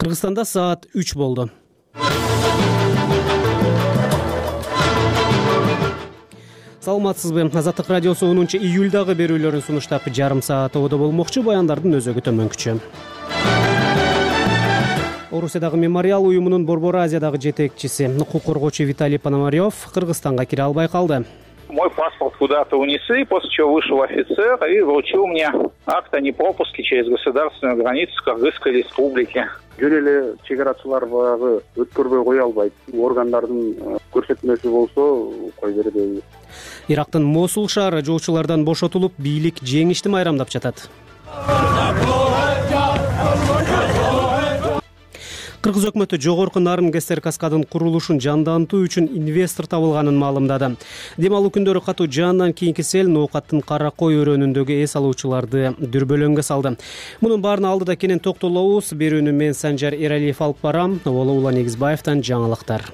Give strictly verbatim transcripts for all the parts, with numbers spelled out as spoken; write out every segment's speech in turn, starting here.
Кыргызстанда саат үч болду. Саламатсызбы? Азаттык радиосу онунчу июлдагы берүүлөрүн сунуштап жарым саат ободо болмокчу, баяндардын өзөгү төмөнкүчө. Орусиядагы мемориал уюмунун Борбор Азиядагы жетекчиси, укук коргоочу Виталий Пономарев Кыргызстанга кире албай калды. Мой паспорт куда-то унесли, после чего вышел офицер и вручил мне акт о непропуске через государственную границу Кыргызской республики. Жөн эле чек арачылар баягы өткөрбөй кое албайт. Органдардын көрсөтмөсү болсо кой бербейбиз. Ирактын Мосул шаары жолчулардан бошотулуп, бийлик жеңишти майрамдап жатат. Кыргыз өкмөтү жогорку Нарын КСР каскадын курулушун жандантуу үчүн инвестор табылганын маалымдады. Дем алуу күндөрү катуу жаандан кийинки сел Ноокаттын Кара Кой өрөөнүндөгү эс алуучуларды дүрбөлөңгө салды. Мунун баарына алдыда кенен токтолобуз. Берүүнү мен Санжар Эралиев алып барам. Улан Эгизбаевден жаңылыктар.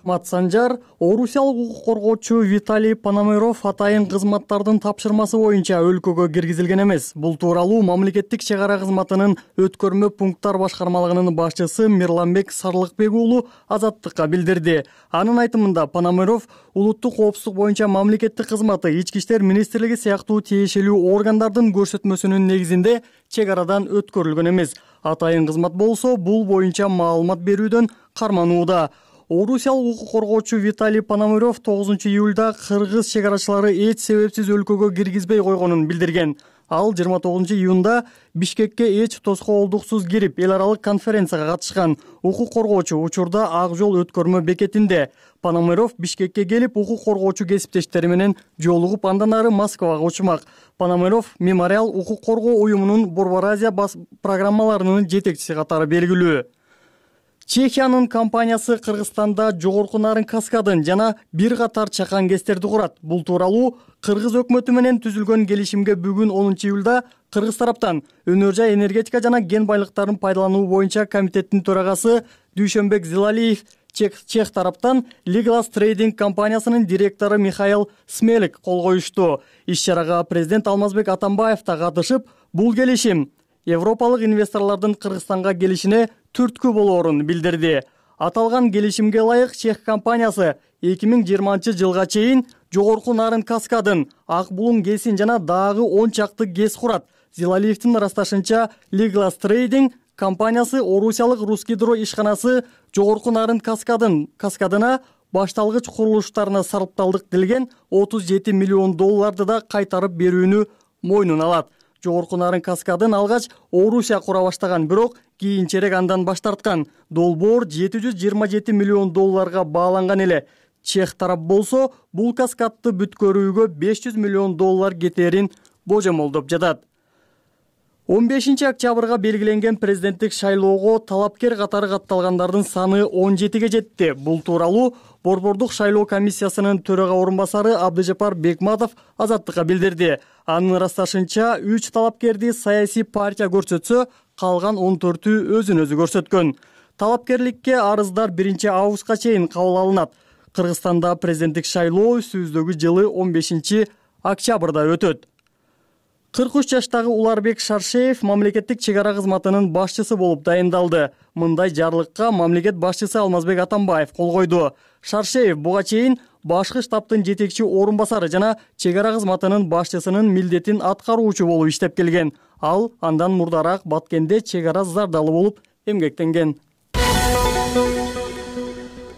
Рахмат, Санжар. Орусиялык укук коргоочу Виталий Пономарев атайын кызматтардын тапшырмасы боюнча өлкөгө киргизилген эмес. Бул тууралуу мамлекеттик чек ара кызматынын өткөрмө пункттар башкармалыгынын башчысы Мирланбек Сарлыкбек уулу Азаттыкка билдирди. Анын айтымында Пономарев улуттук коопсуздук боюнча мамлекеттик кызматы, ички иштер министрлиги сыяктуу тиешелүү органдардын көрсөтмөсүнүн негизинде чек арадан өткөрүлгөн эмес. Атайын кызмат болсо бул боюнча маалымат берүүдөн карманууда. Орусиялык укук коргоочу Виталий Пономарев тогузунчу июлда кыргыз чек арачылары эч себепсиз өлкөгө киргизбей койгонун билдирген. Ал жыйырма тогузунчу июнда Бишкекке эч тоскоолдуксуз кирип, эл аралык конференцияга катышкан. Укук коргоочу учурда Ак жол өткөрмө бекетинде. Пономарев Бишкекке келип, укук коргоочу кесиптештери менен жолугуп, андан ары Москвага учмак. Пономарев мемориал укук коргоо уюмунун Борбор Азия программаларынын жетекчиси катары белгилүү. Чехиянын компаниясы Кыргызстанда жогорку Нарын каскадын жана бир катар чакан кестерди курат. Бул тууралуу Кыргыз өкмөтү менен түзүлгөн келишимге бүгүн онунчу июлда Кыргыз тараптан Өнөр жай энергетика жана кен байлыктарын пайдалануу боюнча комитеттин төрагасы Дүйшөнбек Зилалиев, чех тараптан Legalas Trading компаниясынын директору Михаил Смелик кол коюшту. Иш-чарага президент Алмазбек Атамбаев да катышып, бул келишим европалык инвесторлордун Кыргызстанга келишине түрткү болоорун билдирди. Аталган келишимге ылайык чех компаниясы эки миң жыйырманчы жылга чейин жогорку Нарын каскадын, Ак булуң кесин жана дагы он чакты кес курат. Зилалиевдин ырасташынча Legalas Trading компаниясы орусиялык Русгидро ишканасы жогорку Нарын каскадын каскадына башталгыч курулуштарына сарпталдык делген отуз жети миллион долларды да кайтарып берүүнү мойнуна алат. Жогорку Нарын каскадын алгач Орусия кура баштаган, бирок кийинчерээк андан баш тарткан. Долбоор жети жүз жыйырма жети миллион долларга бааланган эле. Чех тарап болсо бул каскадты бүткөрүүгө беш жүз миллион доллар кетерин божомолдоп жатат. он бешинчи октябрга белгиленген президенттик шайлоого талапкер катары катталгандардын саны он жетиге жетти. Бул тууралуу Борбордук шайлоо комиссиясынын төрага орун басары Абдыжапар Бекматов Азаттыкка билдирди. Анын ырасташынча үч талапкерди саясий партия көрсөтсө, калган он төртү өзүн өзү көрсөткөн. Талапкерликке арыздар биринчи августка чейин кабыл алынат. Кыргызстанда президенттик шайлоо сөздөгү жылы он бешинчи октябрда өтөт. кырк үч жаштагы Уларбек Шаршеев мамлекеттик чек ара кызматынын башчысы болуп дайындалды. Мындай жарлыкка мамлекет башчысы Алмазбек Атамбаев кол койду. Шаршеев буга чейин башкы штабтын жетекчи орун басары жана чек ара кызматынын башчысынын милдетин аткаруучу болуп иштеп келген. Ал андан мурдараак Баткенде чек ара зардалы болуп эмгектенген.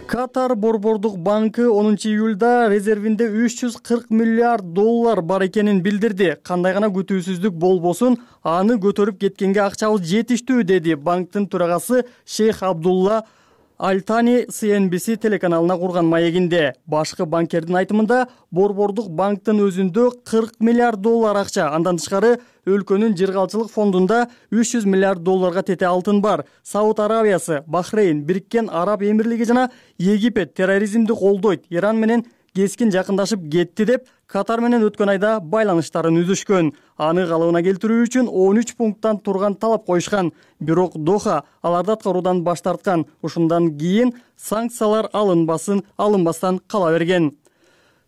Катар Борбордук банкы онунчу июлда резервинде үч жүз кырк миллиард доллар бар экенин билдирди. Кандай гана күтүүсүздүк болбосун, аны көтөрүп кеткенге акчабыз жетиштүү, деди банктын төрагасы Шейх Абдулла Альтани Си Эн Би Си телеканалына курган маегинде. Башкы банкердин айтымында Борбордук банктын өзүндө кырк миллиард доллар акча, андан тышкары өлкөнүн жыргалчылык фондунда үч жүз миллиард долларга тете алтын бар. Сауд Аравиясы, Бахрейн, Бириккен Араб Эмирлиги жана Египет терроризмди колдойт, Иран менен кескин жакындашып кетти деп Катар менен өткөн айда байланыштарын үзүшкөн. Аны калыбына келтирүү үчүн он үч пункттан турган талап коюшкан. Бирок Доха аларды аткаруудан баш тарткан. Ушундан кийин санкциялар алынбасын, алынбастан кала берген.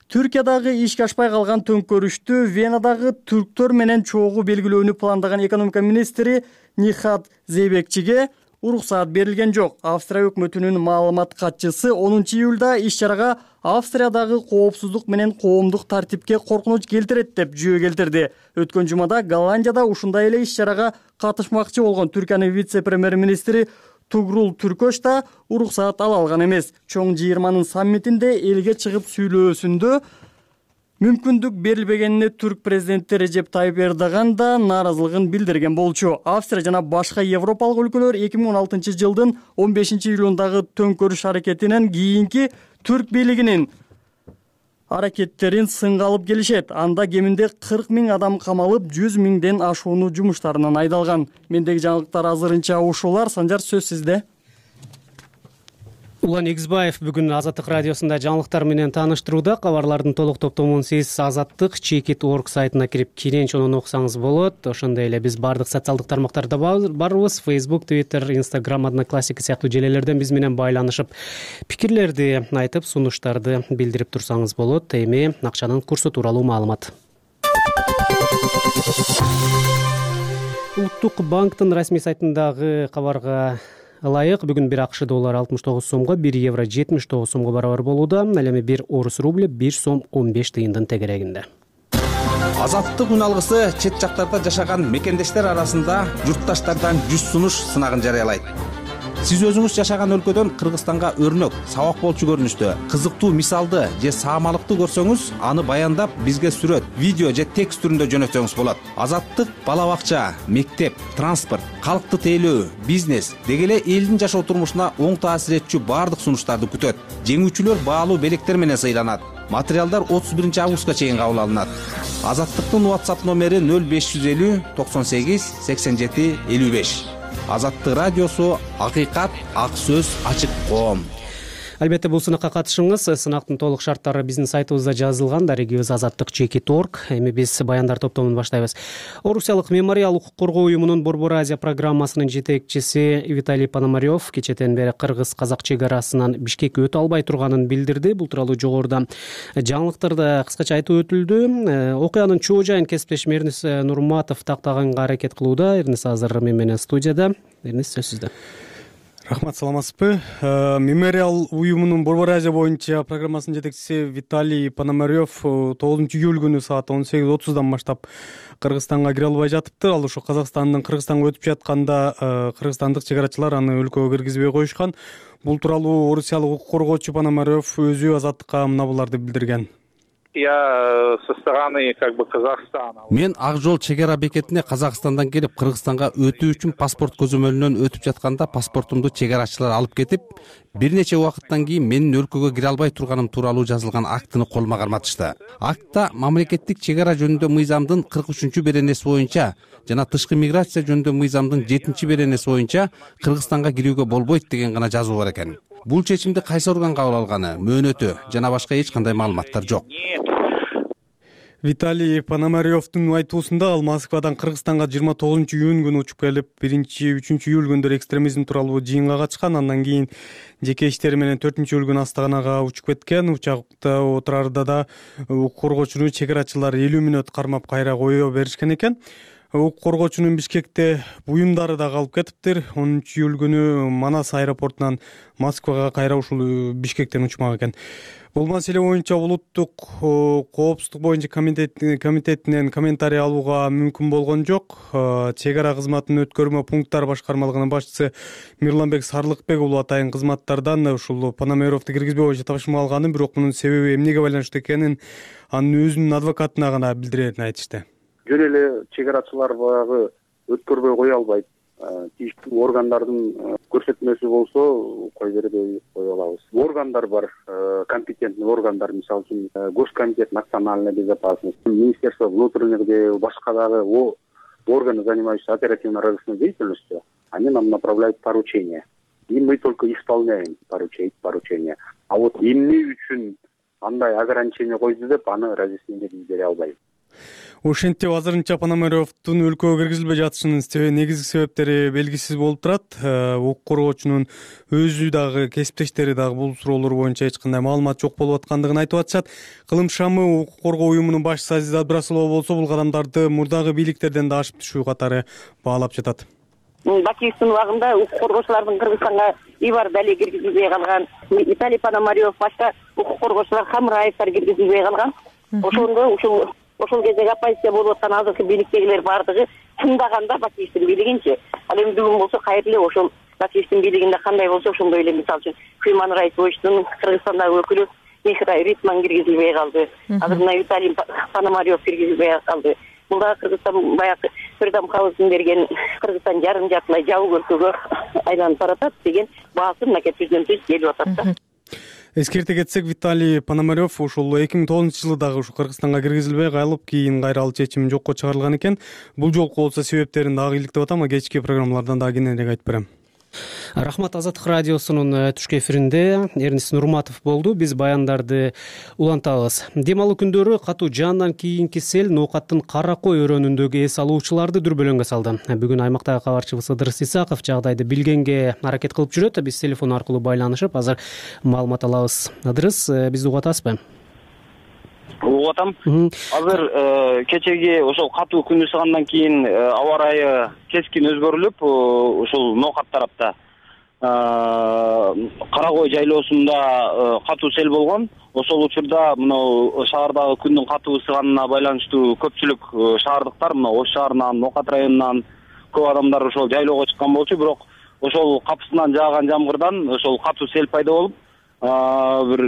Түркиядагы ишке ашпай калган төңкөрүштү Венадагы түрктөр менен чогуу белгилөөнү пландаган экономика министри Нихат Зейбекчиге уруксаат берилген жок. Австрия өкмөтүнүн маалымат катчысы онунчу июлда иш-чарага Австриядагы коопсуздук менен коомдук тартипке коркунуч келтирет деп жүйө келтирди. Өткөн жумада Голландияда ушундай эле иш-чарага катышмакчы болгон Түркиянын вице-премьер-министри Тугрул Түркөш да уруксаат ала алган эмес. Чоң жыйырманын саммитинде элге чыгып сүйлөөсүндө мүмкүндүк берилбегенине түрк президенти Режеп Тайып Эрдоган да нааразылыгын билдирген болчу. Австрия жана башка европалык өлкөлөр эки миң он алтынчы жылдын он бешинчи июлундагы төңкөрүш аракетинен кийинки түрк бийлигинин аракеттерин сынга алып келишет. Анда кеминде кырк миң адам камалып, жүз миңден ашууну жумуштарынан айдалган. Мендеги жаңылыктар азырынча ушулар. Санжар, сөз сизде. Улан Игизбаев бүгүн Азаттык радиосунда жаңылыктар менен тааныштырууда. Кабарлардын толук топтомун сиз Азаттык чекит точка орг сайтына кирип киренчонун окусаңыз болот. Ошондой эле биз бардык социалдык тармактарда барбыз. Facebook, Twitter, Instagram, Одноклассники сыяктуу желелерден биз менен байланышып, пикирлерди айтып, сунуштарды билдирип турсаңыз болот. Эми акчанын курсу тууралуу маалымат. Улуттук банктын расмий сайтындагы кабарга ылайык бүгүн бир акш доллары алтымыш тогуз сомго, бир евро жетимиш тогуз сомго барабар болууда. Ал эми бир орус рубль бир сом он беш тыйындын тегерегинде. Азаттык үн алгысы чет жактарда жашаган мекендештер арасында журтташтардан жүз сунуш сынагын жарыялайт. Сиз өзүңүз жашаган өлкөдөн Кыргызстанга өрнөк, сабак болчу көрүнүштө, кызыктуу мисалды же саамалыкты көрсөңүз, аны баяндап бизге сүрөт, видео же текст түрүндө жөнөтсөңүз болот. Азаттык бала бакча, мектеп, транспорт, калкты тейлөө, бизнес деги эле элдин жашоо турмушуна оң таасир этчү баардык сунуштарды күтөт. Жеңүүчүлөр баалуу белектер менен сыйланат. Материалдар отуз биринчи августка чейин кабыл алынат. Азаттыктын WhatsApp номери нөл беш жүз элүү токсон сегиз сексен жети элүү беш. Азаттык радиосу, акыйкат, ак сөз, ачык коом. Албетте бул сынакка катышыңыз. Сынактын толук шарттары биздин сайтыбызда жазылган. Дарегибиз азаттык чекит точка орг. Эми биз баяндар топтомун баштайбыз. Орусиялык мемориал укук коргоо уюмунун Борбор Азия программасынын жетекчиси Виталий Пономарев кечеден бери кыргыз-казак чек арасынан Бишкекке өтө албай турганын билдирди. Бул тууралуу жогоруда жаңылыктарда кыскача айтып өтүлдү. Окуянын чоо жайын кесиптешим Эрнис Нурматов тактаганга аракет кылууда. Эрнис азыр мен менен студияда. Эрнис, сөз сизде. Рахмат, саламатсызбы? Мемориал уюмунун Борбор Азия боюнча программасынын жетекчиси Виталий Пономарев тогузунчу июль күнү саат он сегиз отуздан баштап Кыргызстанга кире албай жатыптыр. Ал ошо Казакстандын Кыргызстанга өтүп жатканда кыргызстандык чек арачылар аны өлкөгө киргизбей коюшкан. Бул тууралуу орусиялык укук коргоочу Пономарев өзү Азаттыкка мына буларды билдирген. Я со стороны как бы Казахстана. Мен ак жол чек ара бекетине Казакстандан келип Кыргызстанга өтүү үчүн паспорт көзөмөлүнөн өтүп жатканда паспортумду чек арачылар алып кетип, бир нече убакыттан кийин менин өлкөгө кире албай турганым тууралуу жазылган актыны колума карматышты. Актта мамлекеттик чек ара жөнүндө мыйзамдын кырк үчүнчү беренеси боюнча жана тышкы миграция жөнүндө мыйзамдын жетинчи беренеси боюнча Кыргызстанга кирүүгө болбойт деген гана жазуу бар экен. Бул чечимди кайсы орган кабыл алганы, мөөнөтү жана башка эч кандай маалыматтар жок. Виталий Пономаревдин айтуусунда ал Москвадан Кыргызстанга жыйырма тогузунчу июнь күнү учуп келип, биринчи үчүнчү июль күндөрү экстремизм тууралуу жыйынга катышкан. Андан кийин жеке иштери менен төртүнчү июль күнү Астаганага учуп кеткен. Учакта отурарда да укук коргоочуну чек арачылар элүү мүнөт кармап кайра кое беришкен экен. Укук коргоочунун Бишкекте буюмдары да калып кетиптир. онунчу июль күнү Манас аэропортунан Москвага кайра ушул Бишкектен учмак экен. Бул маселе боюнча улуттук коопсуздук боюнча комитетинен комментарий алууга мүмкүн болгон жок. Чек ара кызматынын өткөрмө пункттар башкармалыгынын башчысы Мирланбек Сарлыкбек уулу атайын кызматтардан ушул Пономаревди киргизбей боюнча тапшырма алганын, бирок мунун себеби эмнеге байланыштуу экенин анын өзүнүн адвокатына гана билдирерин айтышты. Жөн эле чек арачылар баягы өткөрбөй кое албайт. Тийиштүү органдардын көрсөтмөсү болсо кой бербей кое алабыз. Органдар бар, компетентный органдар, мисалы үчүн Госкомитет национальной безопасности, Министерство внутренних дел, башка дагы органы, занимающиеся оперативно-розыскной деятельностью, они нам направляют поручения. И мы только исполняем поручения. А вот эмне үчүн андай ограничение койду деп аны разъяснение бере албайм. Ошентип азырынча Пономаревдун өлкөгө киргизилбей жатышынын негизги себептери белгисиз болуп турат. Укук коргоочунун өзү дагы кесиптештери дагы бул суроолор боюнча эч кандай маалымат жок болуп аткандыгын айтып атышат. Кылым шамы укук коргоо уюмунун башчысы Азиза Абдрасулова болсо бул кадамдарды мурдагы бийликтерден да ашып түшүү катары баалап жатат. Бакиевдин убагында укук коргоочулардын Кыргызстанга ИБАР дале киргизилбей калган, Виталий Пономарев башка укук коргоочулар Хамраевдер киргизилбей калган. Ошондо ушул ошол кездеги оппозиция болуп аткан азыркы бийликтегилер баардыгы чындаганда Бакиевдин бийлигинчи. Ал эми бүгүн болсо кайра эле ошол Бакиевдин бийлигинде кандай болсо ошондой эле, мисалы үчүн Human Rights Watch'тун Кыргызстандагы өкүлү Михра Ритман киргизилбей калды. Азыр мына Виталий Пономарев киргизилбей калды. Бул да Кыргызстан баягы Freedom House берген Кыргызстан жарым жартылай жабык өлкөгө айланып баратат деген баасы мынакей түздөн түз келип атат да. Эскерте кетсек, Виталий Пономарев ушул эки миң тогузунчу жылы дагы ушу Кыргызстанга киргизилбей калып, кийин кайра ал чечим жокко чыгарылган экен. Бул жолку болсо себептерин дагы иликтеп атам, а кечки программалардан дагы кененирээк айтып берем. Рахмат. Азаттык радиосунун түшкү эфиринде Эрнис Нурматов болду. Биз баяндарды улантабыз. Дем алуу күндөрү катуу жаандан кийинки сел ноокаттын Кара Кой өрөөнүндөгү эс алуучуларды дүрбөлөңгө салды. Бүгүн аймактагы кабарчыбыз Ыдырыс Исаков жагдайды билгенге аракет кылып жүрөт. Биз телефон аркылуу байланышып азыр маалымат алабыз. Ыдырыс, бизди угуп атасызбы? Угуп атам. Азыр кечеги ошол катуу күн ысыгандан кийин аба ырайы кескин өзгөрүлүп, ошол ноокат тарапта Кара Кой жайлоосунда катуу сел болгон. Ошол учурда мына шаардагы күндүн катуу ысыганына байланыштуу көпчүлүк шаардыктар, мына Ош шаарынан, Ноокат районунан көп адамдар ошол жайлоого чыккан болчу, бирок ошол капысынан жааган жамгырдан ошол катуу сел пайда болуп, бир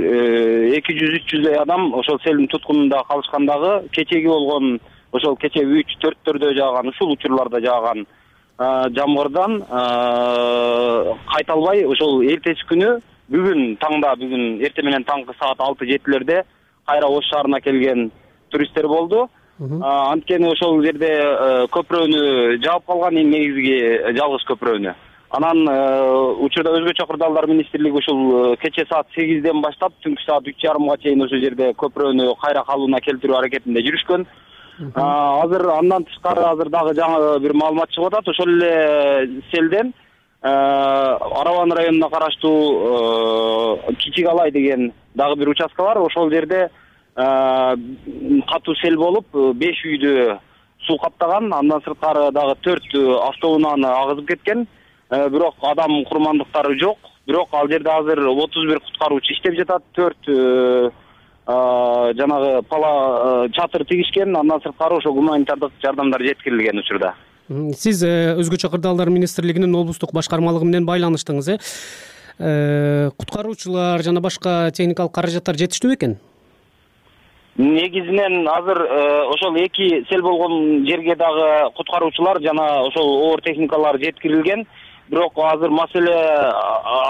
эки жүз үч жүздөй адам ошол селдин туткунунда калышкандагы, кечеги болгон ошол кече үч төрттөрдө жааган, ушул учурларда жааган жамгырдан кайта албай ошол эртеси күнү бүгүн таңда, бүгүн эрте менен таңкы саат алты жетилерде кайра Ош шаарына келген туристтер болду. Анткени ошол жерде көпүрөнү жаап калган, негизги жалгыз көпүрөнү. Анан учурда Өзгөчө кырдаалдар министрлиги ушул кече саат сегизден баштап түнкү саат үч жарымга чейин ошол жерде көпүрөнү кайра калыбына келтирүү аракетинде жүрүшкөн. Азыр андан тышкары азыр дагы жаңы бир маалымат чыгып атат. Ошол эле селден Араван районуна караштуу Кичик Алай деген дагы бир участка бар. Ошол жерде катуу сел болуп, беш үйдү суу каптаган. Андан сырткары дагы төрт автоунааны агызып кеткен. Бирок адам курмандыктары жок. Бирок ал жерде азыр отуз бир куткаруучу иштеп жатат. төрт жанагы пала чатыр тигишкен. Андан сырткары ошо гуманитардык жардамдар жеткирилген учурда. Сиз Өзгөчө кырдаалдар министрлигинин облустук башкармалыгы менен байланыштыңыз, э? Куткаруучулар жана башка техникалык каражаттар жетиштүү экен? Негизинен азыр ошол эки сел болгон жерге дагы куткаруучулар жана ошол оор техникалар жеткирилген. Бирок азыр маселе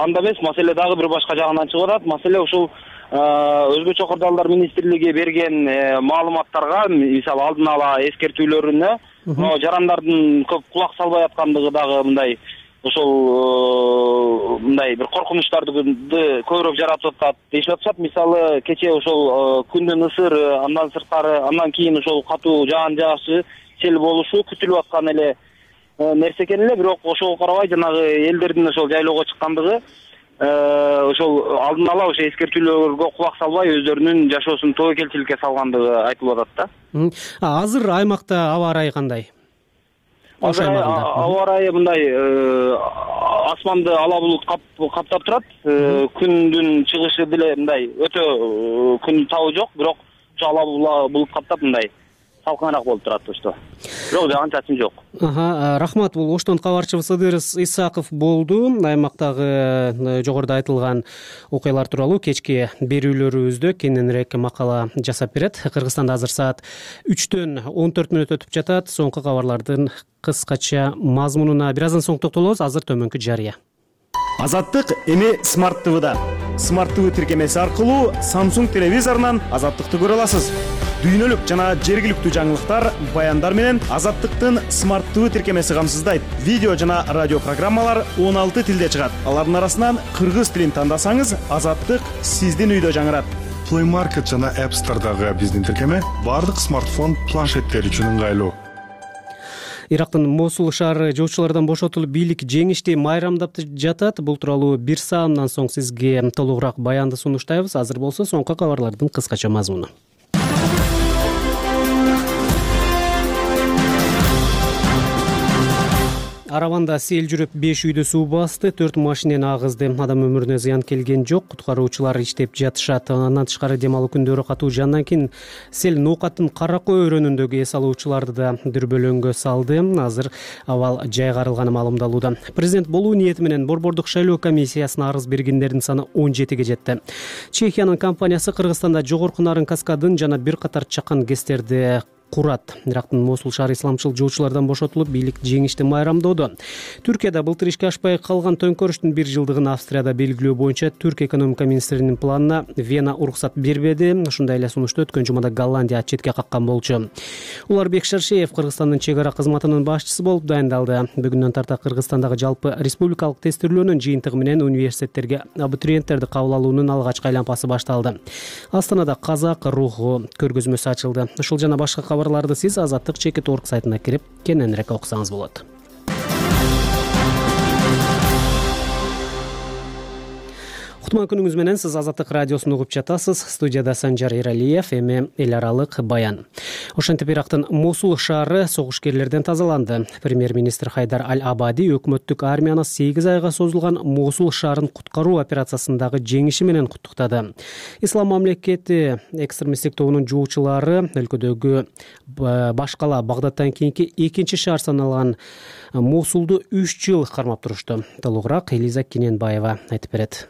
анда эмес, маселе дагы бир башка жагынан чыгып атат. Маселе ушул Өзгөчө кырдаалдар министрлиги берген маалыматтарга, мисалы алдын ала эскертүүлөрүнө жарандардын көп кулак салбай аткандыгы дагы мындай ошол мындай бир коркунучтарды көбүрөөк жаратып атат дешип атышат. Мисалы кече ошол күндүн ысыры, андан сырткары андан кийин ошол катуу жаан жаашы, сел болушу күтүлүп аткан эле нерсе экен эле. Бирок ошого карабай жанагы элдердин ошол жайлоого чыккандыгы ошол алдын ала ошо эскертүүлөргө кулак салбай өздөрүнүн жашоосун тобокелчиликке салгандыгы айтылып атат да. Азыр аймакта аба ырайы кандай? Азыр аба ырайы мындай асманды ала булут каптап турат. Күндүн чыгышы деле мындай өтө күн табы жок, бирок ошо ала булут каптап мындай салкыныраак болуп турат ошто. Бирок жаган чачым жок. Рахмат. Бул Оштон кабарчыбыз Ыдырыс Исаков болду. Аймактагы жогоруда айтылган окуялар тууралуу кечки берүүлөрүбүздө кененирээк макала жасап берет. Кыргызстанда азыр саат үчтөн он төрт мүнөт өтүп жатат. Соңку кабарлардын кыскача мазмунуна бир аздан соң токтолобуз. Азыр төмөнкү жарыя. Азаттык эми Smart ти ви-да. Smart ти ви тиркемеси аркылуу Samsung телевизорунан Азаттыкты көрө аласыз. Дүйнөлүк жана жергиликтүү жаңылыктар, баяндар менен Азаттыктын Smart ти ви тиркемеси камсыздайт. Видео жана радио программалар он алты тилде чыгат. Алардын арасынан кыргыз тилин тандасаңыз, Азаттык сиздин үйдө жаңырат. Play Market жана App Store'дагы биздин тиркеме бардык смартфон планшеттер үчүн ыңгайлуу. Ирактын Мосул шаары жоочулардан бошотулуп бийлик жеңишти майрамдап жатат. Бул тууралуу бир саамдан соң сизге толугураак баянды сунуштайбыз. Азыр болсо соңку кабарлардын кыскача мазмуну. Араванда сел жүрүп беш үйдү суу басты, төрт машинени агызды. Адам өмүрүнө зыян келген жок. Куткаруучулар иштеп жатышат. Андан тышкары дем алуу күндөрү катуу жандан кийин сел Ноокаттын Каракой өрөөнүндөгү эс алуучуларды да дүрбөлөңгө салды. Азыр абал жайгарылганы маалымдалууда. Президент болуу ниети менен борбордук шайлоо комиссиясына арыз бергендердин саны он жетиге жетти. Чехиянын компаниясы Кыргызстанда жогорку нарын каскадын жана бир катар чакан гэстерди курат. Ирактын Мосул шаары исламчыл жоочулардан бошотулуп бийлик жеңишти майрамдоодо. Түркияда былтыр ишке ашпай калган төңкөрүштүн бир жылдыгын Австрияда белгилөө боюнча Түрк экономика министринин планына Вена уруксат бербеди. Ушундай эле сунушту өткөн жумада Голландия четке каккан болчу. Уларбек Шаршеев Кыргызстандын чек ара кызматынын башчысы болуп дайындалды. Бүгүндөн тарта Кыргызстандагы жалпы республикалык тестирлөөнүн жыйынтыгы менен университеттерге абитуриенттерди кабыл алуунун алгачкы айланпасы башталды. Астанада казак руху көргөзмөсү ачылды. Ушул жана башка кабарларды сиз азаттык чекит точка орг сайтына кирип кененирээк окусаңыз болот. Кутман күнүңүз менен, сиз Азаттык радиосун угуп жатасыз. Студияда Санжар Эралиев, эми эл аралык баян. Ошентип Ирактын Мосул шаары согушкерлерден тазаланды. Премьер-министр Хайдар Аль-Абади өкмөттүк армияны сегиз айга созулган Мосул шаарын куткаруу операциясындагы жеңиши менен куттуктады. Ислам мамлекети экстремисттик тобунун жоочулары өлкөдөгү Башкала Багдадтан кийинки экинчи шаар саналган Мосулду үч жыл кармап турушту. Толугураак Элиза Кененбаева айтып берет.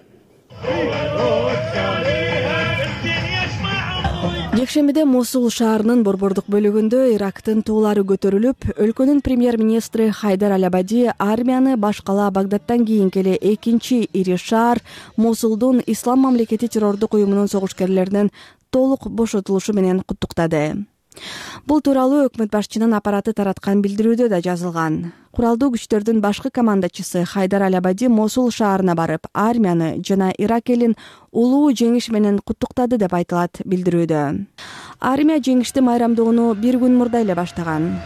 Жекшембиде Мосул шаарынын борбордук бөлүгүндө Ирактын туулары көтөрүлүп, өлкөнүн премьер-министри Хайдар Аль-Абади армияны Башкала Багдадтан кийинки эле экинчи ири шаар Мосулдун Ислам мамлекети террордук уюмунун согушкерлеринен толук бошотулушу менен куттуктады. Бул тууралуу өкмөт башчынын аппараты тараткан билдирүүдө да жазылган. Куралдуу күчтөрдүн башкы командачысы Хайдар Аль-Абади Мосул шаарына барып, армияны жана Ирак элин улуу жеңиш менен куттуктады деп айтылат билдирүүдө. Армия жеңишти майрамдоону бир күн мурда эле баштаган.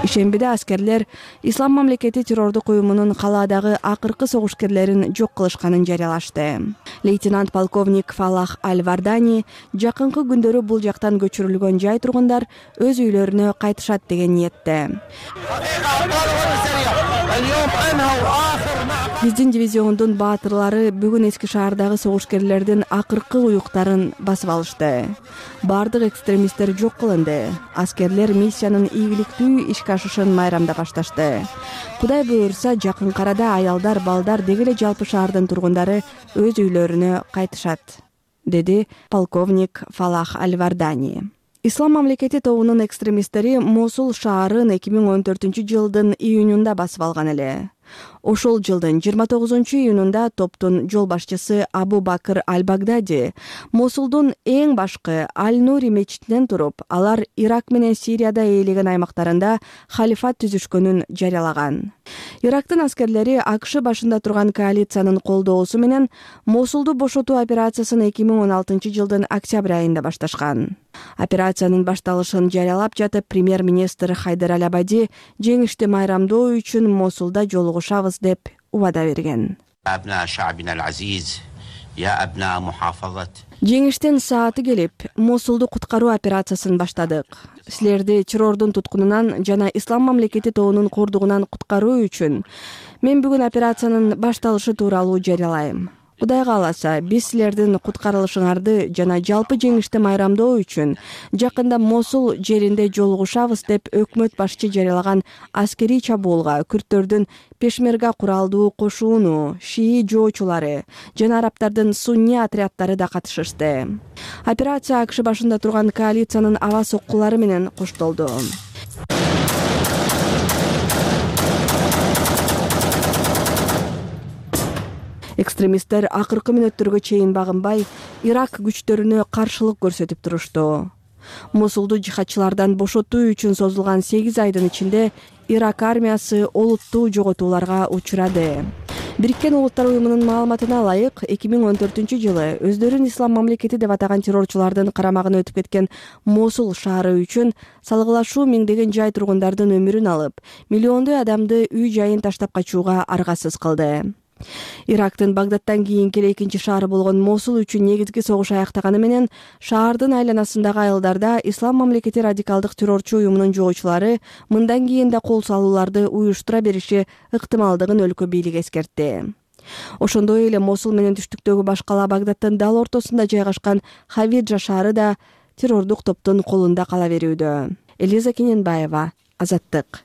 Ишембиде аскерлер Ислам мамлекети террордук уюмунун калаадагы акыркы согушкерлерин жок кылышканын жарыялашты. Лейтенант полковник Фалах Аль-Вардани жакынкы күндөрү бул жактан көчүрүлгөн жай тургундар өз үйлөрүнө кайтышат деген ниетте. Биздин дивизиондун баатырлары бүгүн эски шаардагы согушкерлердин акыркы уюктарын басып алышты. Бардык экстремисттер жок кылынды. Аскерлер миссиянын ийгиликтүү ишке ашышын майрамда башташты. Кудай буйрса, жакын арада аялдар, балдар, деги эле жалпы шаардын тургундары өз үйлөрүнө кайтышат, деди полковник Фалах Аль-Вардани. Ислам мамлекети тобунун экстремисттери Мосул шаарын эки миң он төртүнчү жылдын июнунда басып алган эле. Ошол жылдын жыйырма тогузунчу июнунда топтун жол башчысы Абу Бакыр Аль-Багдади Мосулдун эң башкы Аль-Нури мечитинен туруп, алар Ирак менен Сирияда ээлеген аймактарында халифат түзүшкөнүн жарыялаган. Ирактын аскерлери АКШ башында турган коалициянын колдоосу менен Мосулду бошотуу операциясын эки миң он алтынчы жылдын октябрь айында башташкан. Операциянын башталышын жарыялап жатып, премьер-министр Хайдар Аль-Абади жеңишти майрамдоо үчүн Мосулда жолугушабыз деп убада берген. Жеңиштин сааты келип, Мосулду куткаруу операциясын баштадык. Силерди террордун туткунунан жана Ислам мамлекети тобунун кордугунан куткаруу үчүн мен бүгүн операциянын башталышы тууралуу жарыялайм. Кудай кааласа, биз силердин куткарылышыңарды жана жалпы жеңишти майрамдоо үчүн жакында Мосул жеринде жолугушабыз деп өкмөт башчы жарыялаган аскерий чабуулга күрттөрдүн пешмерга куралдуу кошууну, шии жоочулары жана арабтардын сунни отряддары да катышышты. Операция АКШ башында турган коалициянын аба соккулары менен коштолду. Экстремисттер акыркы мүнөттөргө чейин багынбай Ирак күчтөрүнө каршылык көрсөтүп турушту. Мосулду жихадчылардан бошотуу үчүн созулган сегиз айдын ичинде Ирак армиясы олуттуу жоготууларга учурады. Бириккен Улуттар уюмунун маалыматына ылайык, эки миң он төртүнчү жылы өздөрүн ислам мамлекети деп атаган террорчулардын карамагына өтүп кеткен Мосул шаары үчүн салгылашуу миңдеген жай тургундардын өмүрүн алып, миллиондой адамды үй жайын таштап качууга аргасыз кылды. Ирактын Багдадтан кийинки эле экинчи шаары болгон Мосул үчүн негизги согуш аяктаганы менен шаардын айланасындагы айылдарда ислам мамлекети радикалдык террорчу уюмунун жоочулары мындан кийин да кол салууларды уюштура бериши ыктымалдыгын өлкө бийлиги эскертти. Ошондой эле Мосул менен түштүктөгү баш кала Багдадтын дал ортосунда жайгашкан Хавиджа шаары да террордук топтун колунда кала берүүдө. Элиза Кененбаева, Азаттык.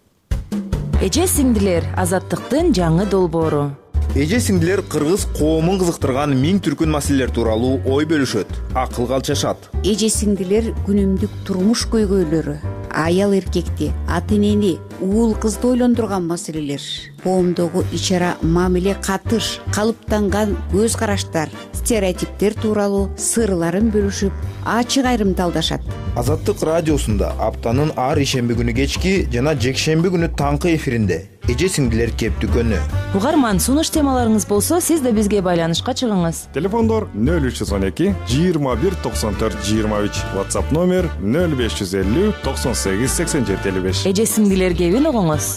Эже сиңдилер, Азаттыктын жаңы долбоору. Эже сиңдилер кыргыз коомун кызыктырган миң түркүн маселелер тууралуу ой бөлүшөт, акыл калчашат. Эже сиңдилер күнүмдүк турмуш көйгөйлөрү, аял эркекти, ата энени, уул кызды ойлондурган маселелер, коомдогу ич-ара мамиле, катыш, калыптанган көз караштар, стереотиптер тууралуу сырларын бөлүшүп, ачык айрымдалдашат. Азаттык радиосунда аптанын ар ишемби күнү кечки жана жекшемби күнү таңкы эфиринде эже сиңдилер кептүкөнү. Угарман, сунуш темаларыңыз болсо, сиз да бизге байланышка чыгыңыз. Телефондор нөл үч жүз он эки жыйырма бир токсон төрт жыйырма үч, WhatsApp номер нөл беш жүз элүү токсон сегиз сексен жети элүү беш. Эже сиңдилер кебин угуңуз.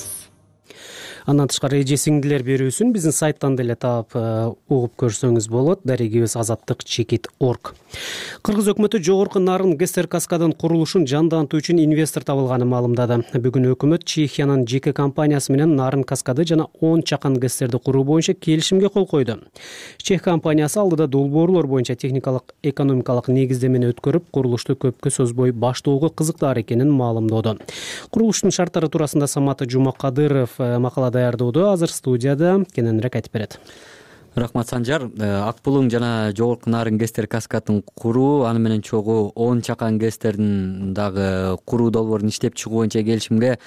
Андан тышкары эже сиңдилер берүүсүн биздин сайттан деле таап угуп көрсөңүз болот. Дарегибиз азаттык чекит точка орг. Кыргыз өкмөтү жогорку нарын ГСР каскадын курулушун жандантуу үчүн инвестор табылганын маалымдады. Бүгүн өкмөт Чехиянын жеке компаниясы менен нарын каскады жана он чакан ГСРди куруу боюнча келишимге кол койду. Чех компаниясы алдыда долбоорлор боюнча техникалык экономикалык негиздемени өткөрүп, курулушту көпкө созбой баштоого кызыктаар экенин маалымдоодо. Курулуштун шарттары туурасында Самат Жумакадыров макала даярдоодо. Азыр студияда кененирээк айтып берет. Рахмат, Санжар. Ак булуң жана жогорку нарын ГСР каскадын куруу, аны менен чогуу он чакан ГСРдин дагы куруу долбоорун иштеп чыгуу боюнча келишимге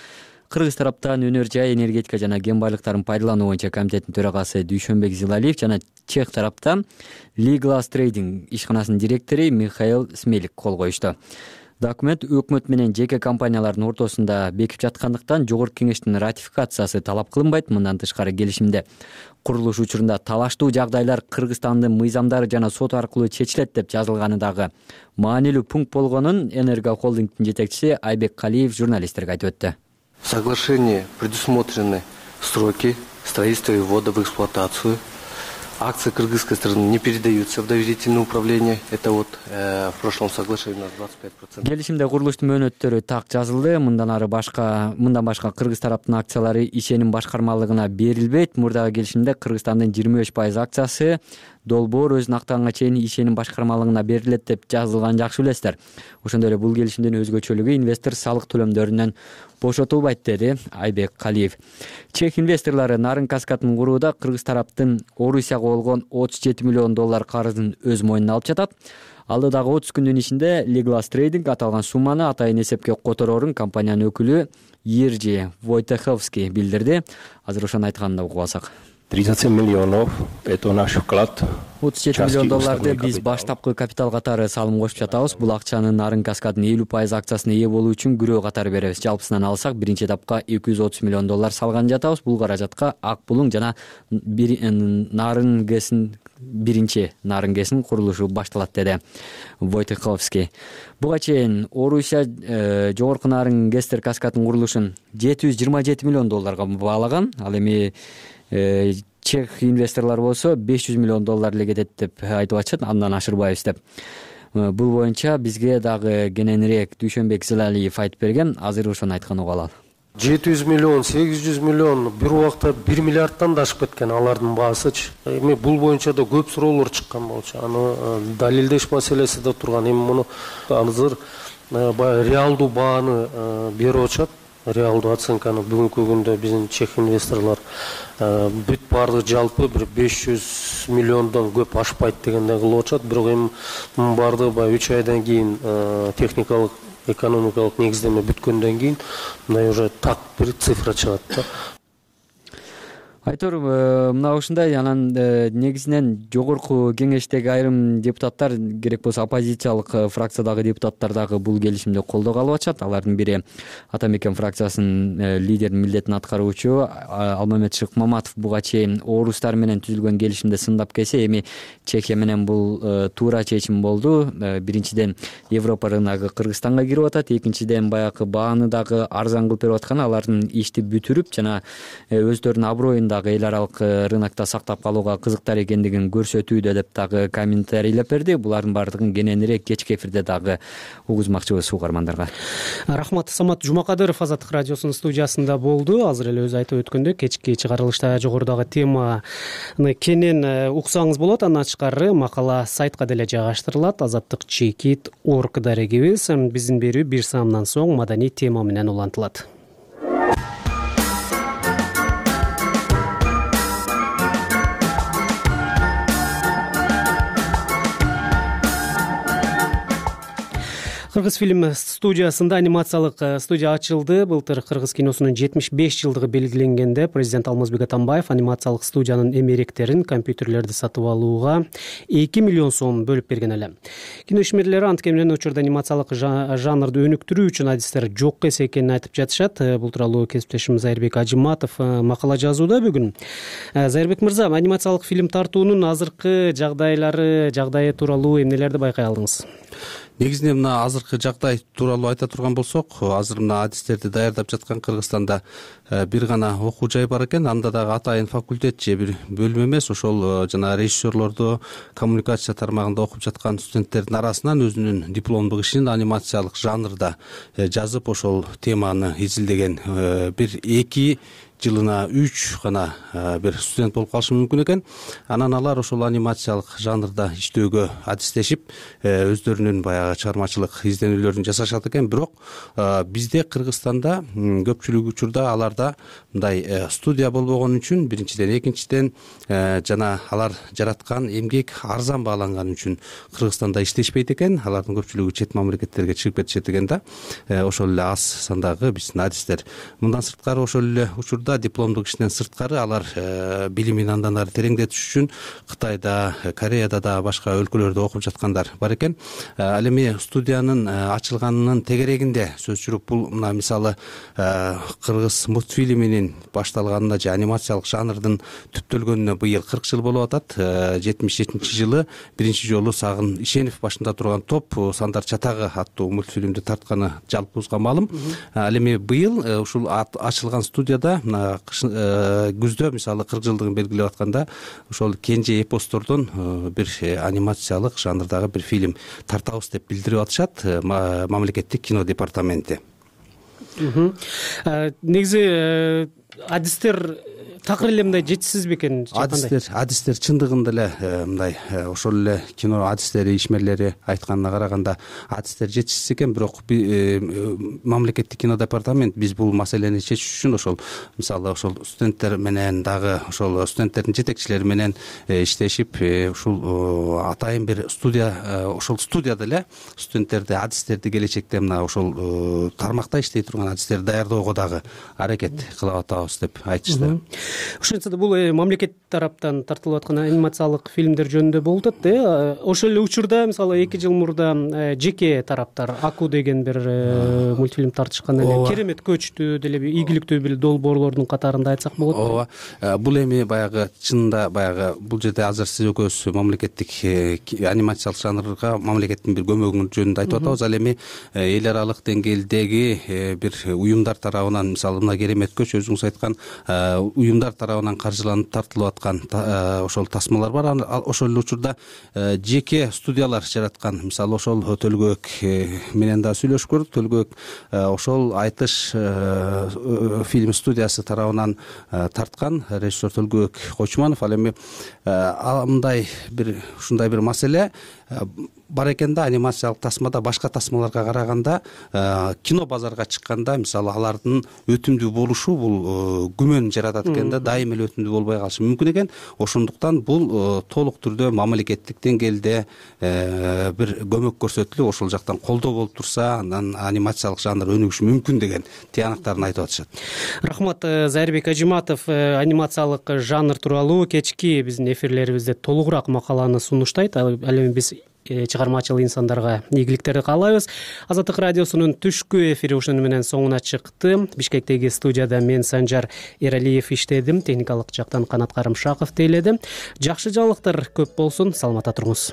кыргыз тараптан өнөр жай, энергетика жана кен байлыктарын пайдалануу боюнча комитеттин төрагасы Дүйшөнбек Зилалиев жана чех тараптан Liglas Trading ишканасынын директору Михаил Смелик кол коюшту. Документ өкмөт менен жеке компаниялардын ортосунда бекип жаткандыктан жогорку кеңештин ратификациясы талап кылынбайт. Мындан тышкары келишимде курулуш учурунда талаштуу жагдайлар Кыргызстандын мыйзамдары жана сот аркылуу чечилет деп жазылганы дагы маанилүү пункт болгонун Энерго холдингдин жетекчиси Айбек Калиев журналисттерге айтып өттү. В соглашении предусмотрены сроки строительства и ввода в эксплуатацию. Акции кыргызской стороны не передаются в доверительное управление. Это вот э, в прошлом соглашении у нас двадцать пять процентов. Келишимде курулуштун мөөнөттөрү так жазылды. Мындан ары башка, мындан башка кыргыз тараптын акциялары ишеним башкармалыгына берилбейт. Мурдагы келишимде Кыргызстандын жыйырма беш пайыз акциясы долбоор өзүн актаганга чейин ишеним башкармалыгына берилет деп жазылган, жакшы билесиздер. Ошондой эле бул келишимдин өзгөчөлүгү инвестор салык төлөмдөрүнөн бошотулбайт, деди Айбек Калиев. Чех инвесторлору нарын каскадын курууда кыргыз тараптын Орусияга болгон отуз жети миллион доллар карызын өз мойнуна алып жатат. Алдыдагы отуз күндүн ичинде Liglas Trading аталган сумманы атайын эсепке котороорун компаниянын өкүлү Иржи Войтеховский билдирди. Азыр ошону айтканын да угуп алсак. тридцать семь миллионов – это наш вклад. отуз жети миллион долларды биз баштапкы капитал катары салым кошуп жатабыз. Бул акчаны нарын каскадынын элүү пайыз акциясына ээ болуу үчүн күрөө катары беребиз. Жалпысынан алсак, биринчи этапка эки жүз отуз миллион доллар салган жатабыз. Бул каражатка Ак булуң жана нарын гэсин биринчи нарын гэсин курулушу башталат, деди Войтеховский. Буга чейин Орусия э, жогорку нарын ГСР каскадынын курулушун жети жүз жыйырма жети миллион долларга баалаган. Ал эми чех инвесторлор болсо беш жүз миллион доллар эле кетет деп айтып атышат, андан ашырбайбыз деп. Бул боюнча бизге дагы кененирээк Дүйшөнбек Зилалиев айтып берген. Азыр ошону айтканын угуп алалы. жети жүз миллион, сегиз жүз миллион, бир убакта бир миллиардтан да ашып кеткен алардын баасычы. Эми бул боюнча да көп суроолор чыккан болчу. Аны далилдеш маселеси да турган. Эми муну азыр реалдуу бааны берип атышат. Реалдуу оценканы бүгүнкү күндө биздин чех инвесторлор бүт баардыгы жалпы бир беш жүз миллиондон көп ашпайт дегенде кылып атышат. Бирок эми баардыгы баягы үч айдан кийин техникалык экономикалык негиздеме бүткөндөн кийин мындай уже так бир цифра чыгат да. Айтор, мына ушундай анан негизинен жогорку кеңештеги айрым депутаттар, керек болсо оппозициялык фракциядагы депутаттар дагы бул келишимди колдоого алып атышат. Алардын бири Ата Мекен фракциясынын лидеринин милдетин аткаруучу Алмамет Шыкмаматов буга чейин орустар менен түзүлгөн келишимди сындап келсе, эми Чехия менен бул туура чечим болду. Биринчиден Европа рыногу Кыргызстанга кирип атат, экинчиден баягы бааны дагы арзан кылып берип аткан, алардын ишти бүтүрүп жана өздөрүнүн аброюн дагы эл аралык рынокто сактап калууга кызыктар экендигин көрсөтүүдө деп дагы комментарийлеп берди. Булардын баардыгын кененирээк кечки эфирде дагы угузмакчыбыз угармандарга. Рахмат. Самат Жумакадыров Азаттык радиосунун студиясында болду. Азыр эле өзү айтып өткөндөй, кечки чыгарылышта жогорудагы теманы кенен уксаңыз болот. Андан тышкары макала сайтка деле жайгаштырылат. Азаттык чекит орг дарегибиз. Биздин берүү бир саамдан соң маданий тема менен улантылат. Кыргыз фильм студиясында анимациялык студия ачылды. Былтыр кыргыз киносунун жетимиш беш жылдыгы белгиленгенде президент Алмазбек Атамбаев анимациялык студиянын эмеректерин, компьютерлерди сатып алууга эки миллион сом бөлүп берген эле. Кино ишмерлери анткени учурда анимациялык жанрды өнүктүрүү үчүн адистер жок экенин айтып жатышат. Бул тууралуу кесиптешим Зайырбек Ажыматов макала жазууда бүгүн. Зайырбек мырза, анимациялык фильм тартуунун азыркы жагдайлары, жагдайы тууралуу эмнелерди байкай алдыңыз? Негизинен мына азыркы жагдай тууралуу айта турган болсок, азыр мына адистерди даярдап жаткан Кыргызстанда бир гана окуу жай бар экен. Анда дагы атайын факультет же бир бөлүм эмес, ошол жана режиссерлорду коммуникация тармагында окуп жаткан студенттердин арасынан өзүнүн дипломдук ишин анимациялык жанрда жазып, ошол теманы изилдеген бир эки жылына үч гана бир студент болуп калышы мүмкүн экен. Анан алар ошол анимациялык жанрда иштөөгө адистешип, өздөрүнүн баягы чыгармачылык изденүүлөрүн жасашат экен. Бирок бизде Кыргызстанда көпчүлүк учурда аларда мындай студия болбогон үчүн, биринчиден, экинчиден жана алар жараткан эмгек арзан бааланган үчүн Кыргызстанда иштешпейт экен. Алардын көпчүлүгү чет мамлекеттерге чыгып кетишет экен да. Ошол эле аз сандагы биздин адистер. Мындан сырткары ошол эле учурда дипломдук иштен сырткары алар билимин андан ары тереңдетиш үчүн Кытайда, Кореяда да башка өлкөлөрдө окуп жаткандар бар экен. Ал эми студиянын ачылганынын тегерегинде сөз жүрүп, бул мына мисалы кыргыз мультфильминин башталганына же анимациялык жанрдын түптөлгөнүнө быйыл кырк жыл болуп атат. жетимиш жетинчи жылы биринчи жолу Сагын Ишенов башында турган топ Сандар Чатагы аттуу мультфильмди тартканы жалпыбызга маалым. Ал эми быйыл ушул ачылган студияда күздө мисалы кырк жылдыгын белгилеп атканда ошол кенже эпостордон бир анимациялык жанрдагы бир фильм тартабыз деп билдирип атышат мамлекеттик кино департаменти. Негизи адистер такыр эле мындай жетишсиз бекен? Адистер, адистер чындыгында эле мындай ошол эле кино адистери, ишмерлери айтканына караганда адистер жетишсиз экен. Бирок мамлекеттик кино департамент биз бул маселени чечиш үчүн ошол мисалы ошол студенттер менен дагы ошол студенттердин жетекчилери менен иштешип, ушул атайын бир студия, ошол студияда эле студенттерди, адистерди келечекте мына ошол тармакта иштей турган адистерди даярдоого дагы аракет кылып атабыз деп айтышты. Ошентсе да бул мамлекет тараптан тартылып аткан анимациялык фильмдер жөнүндө болуп атат да. Ошол эле учурда мисалы эки жыл мурда жеке тараптар Аку деген бир мультфильм тартышкан эле. Керемет көчтү деле ийгиликтүү бир долбоорлордун катарында айтсак болот. Ооба. Бул эми баягы чынында баягы бул жерде азыр сиз экөөбүз мамлекеттик анимациялык жанрга мамлекеттин бир көмөгү жөнүндө айтып атабыз. Ал эми эл аралык деңгээлдеги бир уюмдар тарабынан, мисалы мына Керемет көч өзүңүз айткан уюмдар тарабынан каржыланып тартылып аткан ошол тасмалар бар. Ошол эле учурда жеке студиялар жараткан. Мисалы ошол Төлгөөк менен да сүйлөшүп көрдүк. Төлгөөк ошол Айтыш фильм студиясы тарабынан тарткан режиссер Төлгөөк Койчуманов. Ал эми мындай бир ушундай бир маселе бар экен да, анимациялык тасмада башка тасмаларга караганда кино базарга чыкканда мисалы алардын өтүмдүү болушу бул күмөн жаратат экен да, дайым эле өтүмдүү болбой калышы мүмкүн экен. Ошондуктан бул толук түрдө мамлекеттик деңгээлде бир көмөк көрсөтүлүп, ошол жактан колдоо болуп турса, андан анимациялык жанр өнүгүшү мүмкүн деген тыянактарын айтып атышат. Рахмат. Зайырбек Ажиматов анимациялык жанр тууралуу кечки биздин эфирлерибизде толугураак макаланы сунуштайт. Ал эми биз чыгармачыл инсандарга ийгиликтерди каалайбыз. Азаттык радиосунун түшкү эфири ушуну менен соңуна чыкты. Бишкектеги студияда мен Санжар Эралиев иштедим, техникалык жактан Канат Карымшаков тейледи. Жакшы жаңылыктар көп болсун, саламатта туруңуз.